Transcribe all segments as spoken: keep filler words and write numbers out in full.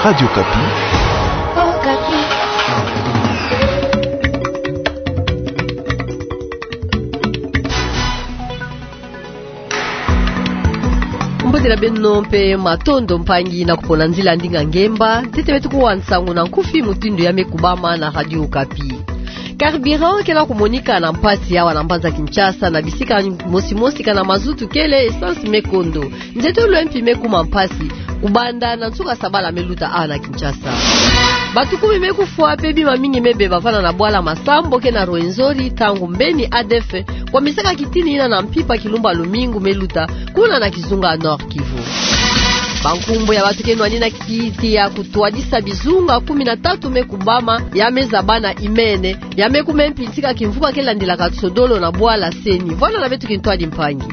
Radio Okapi. Mbote na beno mpe matondo mpangi na kupona nzila ndinga ngemba, ntete beto kuwa nsangu na nkufi mutindu ya me kubama na Radio Okapi. Carburant kena kumonika na mpasi awa na mbanza Kinshasa na bisika mosi mosi kana mazutu kele, essence me kondo. Nzeto lwe mpi me kuma mpasi, kubanda na nsuka sabala me luta awa na Kinshasa. Bato kumi me kufwa mpe bima mingi me beba vana na bwala Masambo kena Rwenzori, ntangu mbeni A D F kwamisaka kitini yina na mpimpa kilumbu ya lumingu me luta, kuna na kizunga Nord-Kivu. Bankumbu ya bato ke nwani na kiti ya kutwadisa bizunga kumi na tatu me kubama, ya me zaba na imene, ya me kuma mpi ntika kimvuka ke landilaka sodolo na bwala CENI. Vwanda na beto kintwadi mpangi.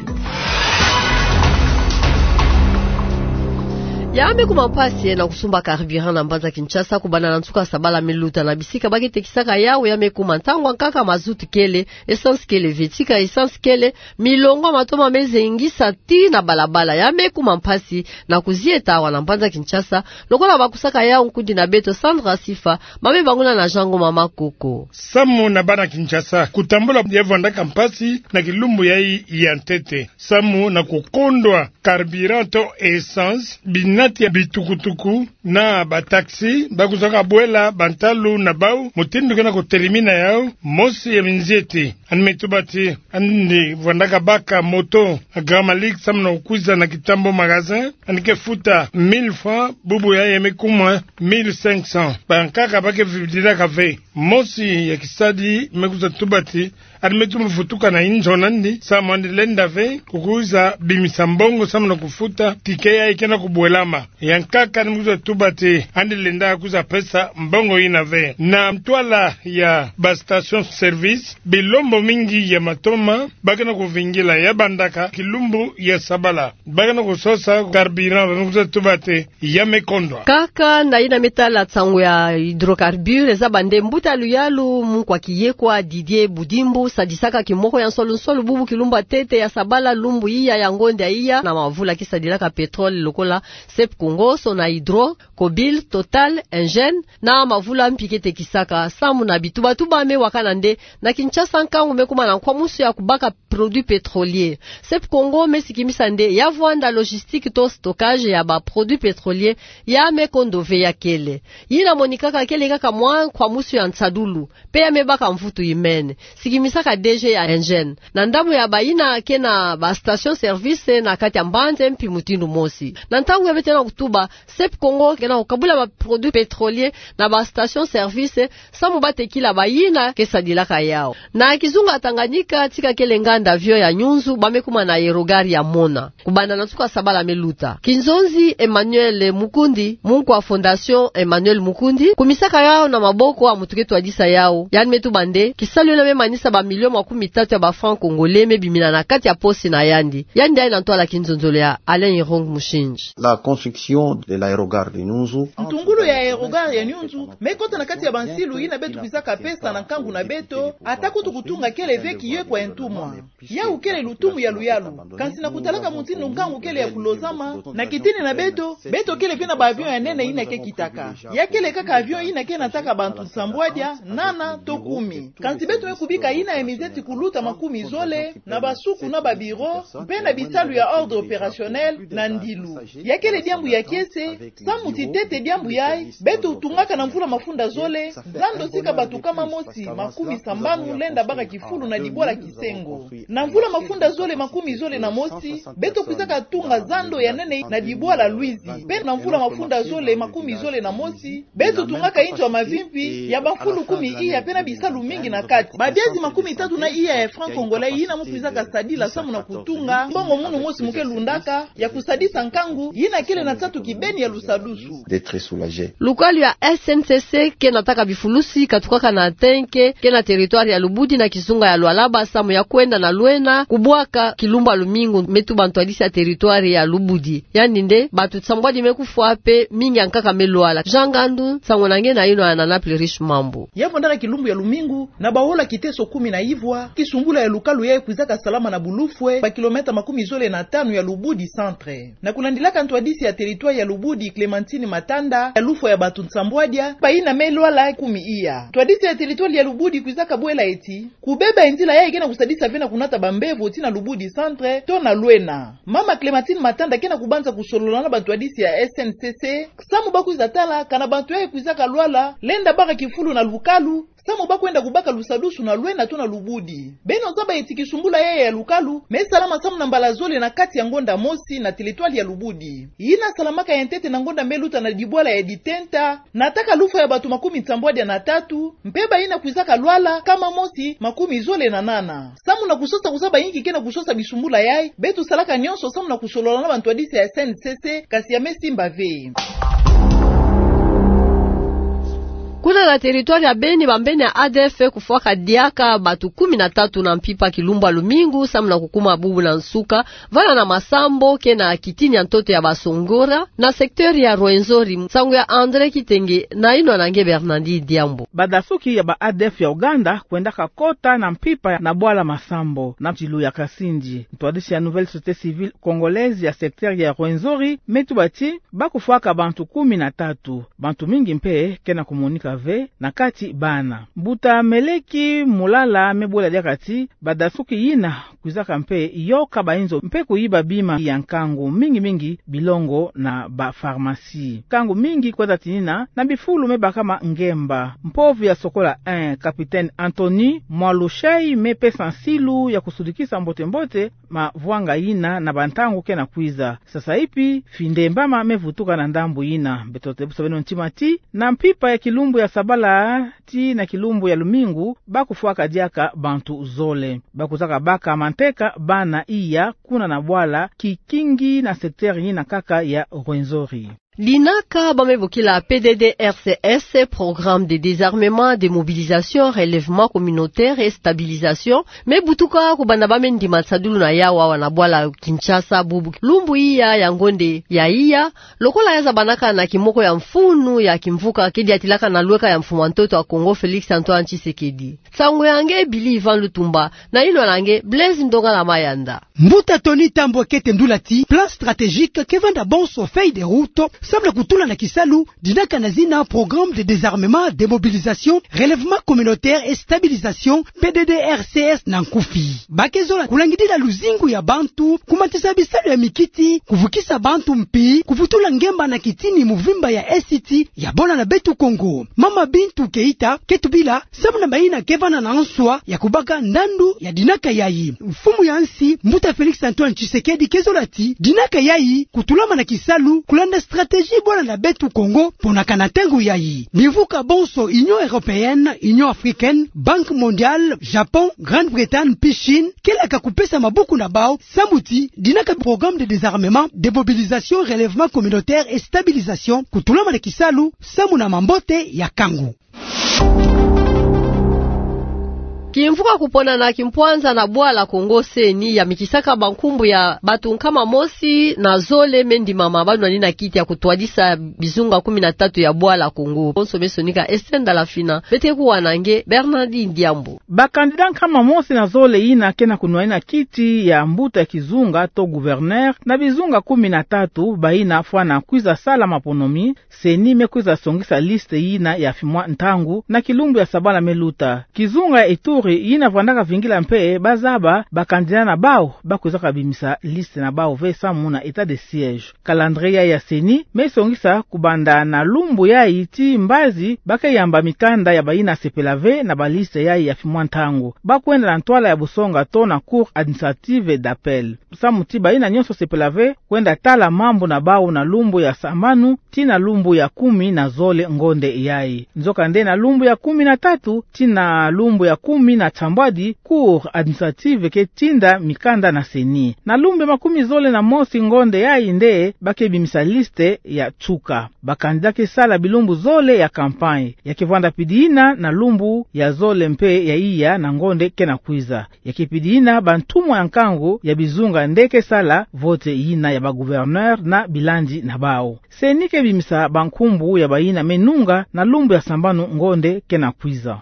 Ya me kuma mpasi na kusumba carburant na mbanza Kinshasa, kubanda na nsuka sabala me luta na bisika ba ke tekisaka yawu, ya me kuma ntangu ya nkaka mazutu kele, essence kele ve. Tika essence kele, milongo ya matoma me zengisa tii na balabala. Ya me kuma mpasi na kuzieta awa na mbanza Kinshasa, lokola bakusaka yawu nkundi na beto Sandra Sifa, ma me bangula na Jean Ngoma Makoko. Samu na bana Kinshasa, kutambula ya vwandaka mpasi na kilumbu yayi ya ntete. Samu na kukondwa carburant to essence, binati ya bitukutuku na bataxi, bakusaka bwela bantalu na bawu, mutindu kena kutelimina yawu, mosi ya minzieti. Yandi me tuba ti, yandi vwandaka baka moto Grand Malik samu na kukwiza na Kitambo magasin, yandi ke futa mille francs, bubu yayi ya me kuma mille cinq cents. Bankaka ba ke vidilaka ve. Mosi ya kisadi me kwiza tuba ti, yandi me tuma vutuka na inzo na yandi, samu yandi lenda ve kukwiza bimisa mbongo samu na kufuta ticket yayi kena kubwelama. Ya nkaka yandi me kwiza tuba ti, yandi lenda kwiza pesa mbongo yina ve. Na ntwala ya ba station service, bilombo mingi ya matoma ba kena kuvingila, ya bandaka kilumbu ya sabala. Ba kena kusosa carburant, ba me kwiza tuba ti ya me kondwa. Kaka na yina me tala nsangu ya hydrocarbures, zaba nde mbuta luyalu Munkwa Kiyekwa Didier Budimbu sadisaka kimoko ya nsolu nsolu bubu kilumbu ya ntete ya sabala, lumbu iya ya ngonda iya, na mavula ke sadilaka pétrole lokola Sep Congo, Sonahydro, Cobil, Total, Engen, na mavula mpi ke tekisaka. Samu na bitubatuba me wakana nde, na Kinshasa nkangu me kuma na nkwamusu ya kubaka produits pétroliers. Sep Congo me sikimisa nde ya vwanda logistique to stockage ya ba produits pétroliers ya me kondo ve, ya kele. Yina monikaka kele kaka mwa nkwamusu ya nsadulu, mpe ya me baka mvutu imene, sikimisaka D G ya Engen. Na ndambu ya bayina ke na ba station service na kati ya mbanza mpi mutindu mosi. Na ntangu ya beto na kutuba, Sep Congo kena kukabula ba produits pétroliers na ba station service, samu ba tekila bayina ke sadilaka yawu. Na kizunga Tanganyika, tika kele nganda avion ya Nyunzu, ba me kuma na aérogare ya Mona, kubanda na nsuka sabala me luta. Kinzonzi Emmanuel Mukundi, munkwa Fondation Emmanuel Mukundi, kumisaka yawu na maboko ya muntu ke twadisa yawu, yandi me tuba nde kisalu yina me manisa ba millions makumi tatu ya ba francs congolais me bimina na kati ya posi na yandi. Yandi aye na ntwala kinzonzolo ya Alain Irung Mushindji. La construction de l'aérogare de Nyunzu. Ntungulu ya aérogare ya Nyunzu me kota na kati ya bansilu yina beto kwizaka pesa na nkangu na beto, ata kutu kutunga kele ve kiyo kwa ntumwa. Yawu kele lutumu ya luyalu. Kansi na kutalaka mutindu nkangu kele ya kulozama, na kitini na beto, beto kele ve na ba avion ya nene yina ke kitaka. Ya kele kaka avion yina ke nataka bantu sambwadia, nana, to kumi. Kansi beto me kubika yina ya mizeti kuluta makumi zole, na basuku na ba bureaux, mpe na bisalu ya ordre opérationnel, na ndilu. Ya kele diambu ya kiese, samu ti ntete diambu yayi, beto tungaka na mvula mafunda zole, zando sika bato kama mosi makumi sambanu lenda baka kifulu na dibwala kisengo. Na mvula mafunda zole makumi zole na mosi, beto kwizaka tunga zando ya nene na dibwala Luizi. Mpe na mvula mafunda zole makumi zole na mosi, beto tungaka inzo ya mavimpi ya bafulu kumi iya mpe na bisalu mingi na kati. Ba biazi makumi tatu na iya ya francs congolais yina mu kwizaka sadila samu na kutunga, mbongo munu mosi mu ke lundaka, ya kusadisa nkangu yina kele na nsatu kibeni ya lusadusu. D'être soulagé. Lukwalu ya S N C C ke nataka bifulusi katukaka na tanke, ke na territoire ya Lubudi na kizunga ya Lualaba samu ya kwenda na lwena kubwaka kilumbu ya lumingu, me tuba ntwadisi ya territoire ya Lubudi. Yandi nde, bato sambwadi me kufwa mpe mingi ya nkaka me lwala. Jean Ngandu, nsangu na nge na yino ya Nana Plurish Mambu. Ya vwandaka kilumbu ya lumingu, na bahola kiteso kumi na Na ivwa, kisumbula ya lukalu yayi kwizaka salama na bulufwe ba kilomètre makumi zole na tanu ya Lubudi centre. Na kulandilaka ntwadisi ya territoire ya Lubudi Clémentine Matanda, ya lufwa ya bantu nsambwadia, bayina me lwala kumi iya. Ntwadisi ya territoire ya Lubudi kwizaka bwela eti, kubeba nzila yayi ke na kusadisa ve na kunata bambevo ti na Lubudi centre, to na Lwena. Mama Clémentine Matanda ke na kubanza kusolola na bantwadisi ya S N C C, samu ba kwiza tala, kana bantu yayi kwizaka lwala, lenda baka kifulu na lukalu, samu ba kwenda kubaka lusadusu na Lwena to na Lubudi. Beno zaba eti kisumbula yayi ya lukalu, me salama samu na mbala zole na kati ya ngonda mosi na territoire ya Lubudi. Yina salamaka ya ntete na ngonda me luta na dibwala ya Ditenta, nataka lufwa ya bantu makumi nsambwadia na tatu, mpe bayina kwizaka lwala, nkama mosi, makumi zole na nana. Samu na kusosa kuzaba inki ke na kusosa bisumbula yayi, beto salaka nyonso samu na kusolola na bantwadisi ya S N C C, kasi ya me simba ve. Kuna na territoire ya Beni, bambeni ya A D F kufwaka diaka bantu kumi na tatu na mpimpa kilumbu ya lumingu, samu na kukuma bubu na nsuka, vana na masambu ke na kitini ya ntoto ya basongora, na secteur ya Rwenzori. Nsangu ya André Kitenge, na yinwa na nge Bernardi Diambu. Badasuki ya ba A D F ya Ouganda kwendaka kota na mpimpa na bwala masambu na ntilu ya Kasindi. Ntwadisi ya Nouvelle Société Civile Congolaise ya secteur ya Rwenzori me tuba ti ba kufwaka bantu kumi na tatu. Bantu mingi mpe ke na kumonika ve, na kati bana. Mbuta Meleki Mulala me bwela diaka ti, badasuki yina kwizaka mpe yoka bayinzo mpe kuyiba bima ya nkangu, mingi mingi bilongo na ba pharmacie. Nkangu mingi kweza tinina na bifulu me bakama ngemba. Mpovi ya Sokola un, capitaine Anthony Mwalushai, me pesa nsilu ya kusudikisa mbote-mbote mavwanga yina na bantangu ke na kwiza. Sasa ipi, findembama me vutuka na ndambu yina. Beto tebusa beno ntima ti, na mpimpa ya kilumbu ya sabala tii na kilumbu ya lumingu, ba kufwaka diaka bantu zole. Ba kwizaka baka manteka bana iya kuna na bwala Kikingi na secteur yina kaka ya Rwenzori. Dinaka ba me bokila P D D R C S, Programme de Désarmement, Démobilisation, Relèvement Communautaire et Stabilisation, me butuka kubanda ba me ndima nsadulu na yawu awa na bwala Kinshasa bubu lumbu iya ya ngonde ya iya, lokola ya zabanaka na kimoko ya mfunu ya kimvuka ke diatilaka na lweka ya mfumu ya ntoto ya Kongo Félix Antoine Tshisekedi. Nsangu ya nge Billy Ivan Lutumba, na yinwa na nge Blaise Ndongala Mayanda. Mbuta Tony Tambwe ke tendula ti, plan stratégique ke vanda bonso feuille de route, samu na kutula na kisalu dinaka na zina Programme de Désarmement, Démobilisation, Relèvement Communautaire et Stabilisation, P D D R C S na nkufi. Ba ke zola kulangidila luzingu ya bantu, kumatisa bisalu ya mikiti, kuvukisa bantu mpi, kuvutula ngemba na kitini muvimba ya Est ya bwala na beto Kongo. Mama Bintou Keita ke tubila, samu na bayina ke vanda na nswa ya kubaka ndandu ya dinaka yayi. Mfumu ya nsi, mbuta Félix Antoine Tshisekedi ke zola ti, dinaka yayi kutulama na kisalu, kulanda stratégie bwala na beto Kongo, mpo na kana ntangu yayi. Bimvuka bonso Union Européenne, Union Africaine, Banque Mondiale, Japon, Grande-Bretagne, mpi Chine, ke laka kupesa maboko na bawu, samu ti dinaka Programme de Désarmement, Démobilisation, Relèvement Communautaire et Stabilisation kutulama na kisalu, samu na mambote ya nkangu. Kimvuka kuponana kimpwanza na bwala Kongo, C E N I yamikisaka bankumbu ya bantu nkama mosi na zole me ndimama ba nwanina kiti ya kutwadisa bizunga kumi na tatu ya bwala Kongo. Bonso me sonika Esther Ndalafina, beto kuwa na nge Bernardine Diambu. Ba candidat nkama mosi na zole yina ke na kunwanina kiti ya mbuta ya kizunga to gouverneur na bizunga kumi na tatu bayina fwana kwiza sala maponomi, C E N I me kwiza songisa liste yina ya fimwa ntangu na kilumbu ya sabala me luta. Kizunga ya Ituri yina vandaka vingila mpe ba zaba ba candidat na bawu ba kwizaka bimisa liste na bawu ve samu na état de siège. Calendrier ya C E N I me songisa kubanda na lumbu yayi tii mbazi ba ke yamba mikanda ya bayina sepela ve na ba liste yayi ya fimwa ntangu. Ba kwenda na ntwala ya busonga to na Cour administrative d'appel. Samu ti bayina nyonso sepela ve kwenda tala mambu na bawu na lumbu ya sambanu tii na lumbu ya kumi na zole ngonde yayi. Nzokande na lumbu ya kumi na tatu tii na lumbu ya kumi na nsambwadi, Cour administrative ke tinda mikanda na C E N I. Na lumbu ya makumi zole na mosi ngonde yayi nde ba ke bimisa liste ya nsuka. Ba candidat ke sala bilumbu zole ya campagne. Ya ke vwanda pidi yina na lumbu ya zole mpe ya iya na ngonde ke na kwiza. Ya ke pidi yina bantumwa ya nkangu ya bizunga nde ke sala vote yina ya ba gouverneur na bilandi na bawu. C E N I ke bimisa bankumbu ya bayina me nunga na lumbu ya sambanu ngonde ke na kwiza.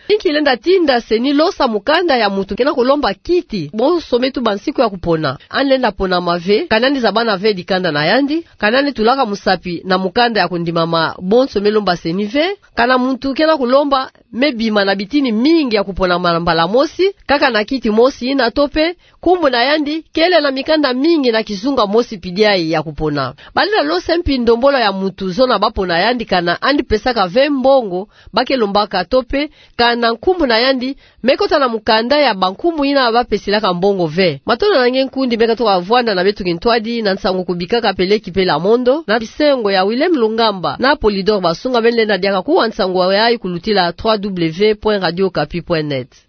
Inki lenda tinda CENI losa mukanda ya muntu ke na kulomba kiti bonso me tuba nsiku ya kupona, ani lenda ponama ve, kani ani zabana ve dikanda na yandi, kani ani tulaka musapi na mukanda ya kundimama bonso me lomba CENI ve. Kana muntu ke na kulomba, me bima na bitini mingi ya kuponama mbala mosi kaka na kiti mosi ina, to pe nkumbu na yandi kele na mikanda mingi na kizunga mosi pidiai ya kupona. Balenda losa mpi ndombolo ya muntu zona bapona yandi, kana ani pesaka ve mbongo ba ke lombaka, to pe kana nkumbu na yandi me kota na mukanda ya bankumbu ina bapesilaka mbongo ve. Matondo na nge nkundi me katuka vwanda na beto kintwadi na nsangu kubikaka Peleki Pela Mondo, na bisengo ya Willem Lungamba na Polydor Basunga, beno lenda diaka kuwa nsangu yayi kulutila trois W point radio okapi point net.